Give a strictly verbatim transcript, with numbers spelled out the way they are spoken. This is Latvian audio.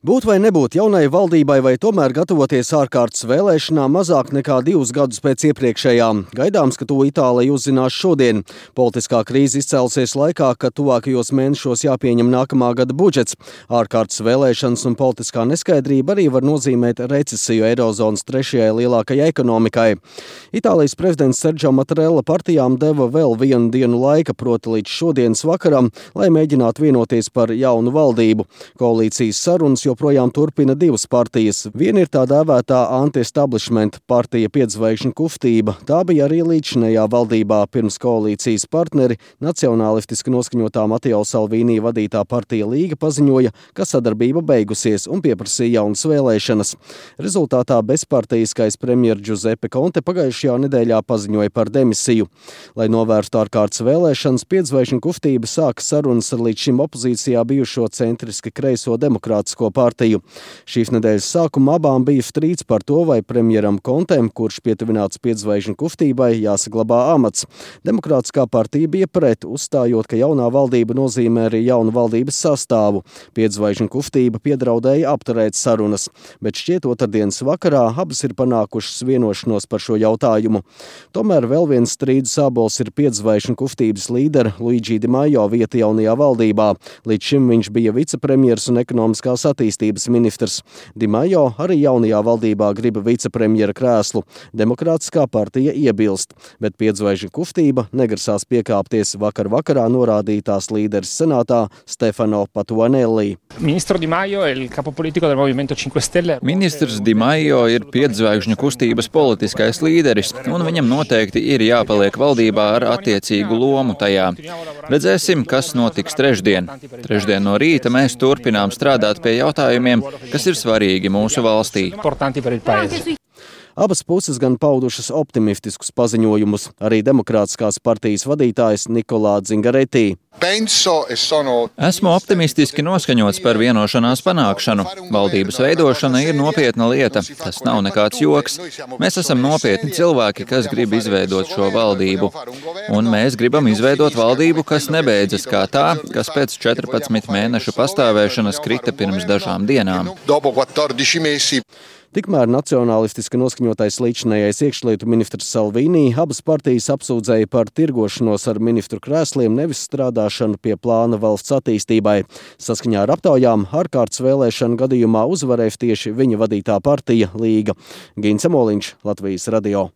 Būt vai nebūt jaunai valdībai vai tomēr gatavoties ārkārtas vēlēšanām mazāk nekā divus gadus pēc iepriekšējām. Gaidāms, ka to Itālija uzzinās šodien. Politiskā krīze izcēlusies laikā, kad tuvākajos mēnešos jāpieņem nākamā gada budžets. Ārkārtas vēlēšanas un politiskā neskaidrība arī var nozīmēt recesiju Eirozonas trešajai lielākajai ekonomikai. Itālijas prezidents Sergio Mattarella partijām deva vēl vienu dienu laika, proti līdz šodienas vakaram, lai mēģinātu vienoties par jaunu valdību. Koalīcijas sarunas joprojām turpina divas partijas. Viena ir tā dēvētā anti-establishment partija Piedzvaigžņu kustība. Tā bija arī līdzinējā valdībā pirms koalīcijas partneri nacionālistiski noskaņotā Matteo Salvini vadītā partija Līga paziņoja, ka sadarbība beigusies un pieprasīja jaunas vēlēšanas. Rezultātā bezpartijiskais premjer Giuseppe Conte pagājušajā nedēļā paziņoja par demisiju. Lai novērstu ārkārtas vēlēšanas, Piedzvaigžņu kustība sāka sarunas ar līdz šim opozīcijā bijušo centriski kreiso demokrātisko partiju. Šīs nedēļas sākumā abām bija strīds par to, vai premjeram Kontem, kurš pietuvināts Piedzvaigžņu kustībai, jāsaglabā amats. Demokrātiskā partija bija pret, uzstājot, ka jaunā valdība nozīmē arī jaunu valdības sastāvu. Piedzvaigžņu kustība piedraudēja apturēt sarunas, bet šķiet otrdienas vakarā abas ir panākušas vienošanos par šo jautājumu. Tomēr vēl viens strīdu sābols ir Piedzvaigžņu kustības līdera Luigi Di Maio vieta jaunajā valdībā. Līdz šim viņš bija vicepremjers un ekonomiskās attīstības ministrs. Di Maio arī jaunajā valdībā grib vicepremjera krēslu. Demokrātiskā partija iebilst, bet Piedzvaigžņu kustība negrasās piekāpties vakar vakarā norādītās līderis senātā Stefano Patuanelli. Ministrs Di Maio ir capo politico del Movimento cinque Stelle. Ministrs Di Maio ir Piedzvaigžņu kustības politiskais līderis, un viņam noteikti ir jāpaliek valdībā ar attiecīgu lomu tajā. Redzēsim, kas notiks trešdien. Trešdien no rīta mēs turpinām strādāt pie jautājumiem, kas ir svarīgi mūsu valstī. Abas puses gan paudušas optimistiskus paziņojumus, arī demokrātiskās partijas vadītājs Nikolā Zingaretti. Esmu optimistiski noskaņots par vienošanās panākšanu. Valdības veidošana ir nopietna lieta. Tas nav nekāds joks. Mēs esam nopietni cilvēki, kas grib izveidot šo valdību. Un mēs gribam izveidot valdību, kas nebeidzas kā tā, kas pēc četrpadsmit mēnešu pastāvēšanas krita pirms dažām dienām. Tikmēr nacionālistiski noskaņotais līdzinējais iekšlietu ministrs Salvini abas partijas apsūdzēja par tirgošanos ar ministru krēsliem, nevis strādāšanu pie plāna valsts attīstībai. Saskaņā ar aptaujām ārkārtas vēlēšanu gadījumā uzvarēs tieši viņa vadītā partija Līga. Gins Amoliņš, Latvijas radio.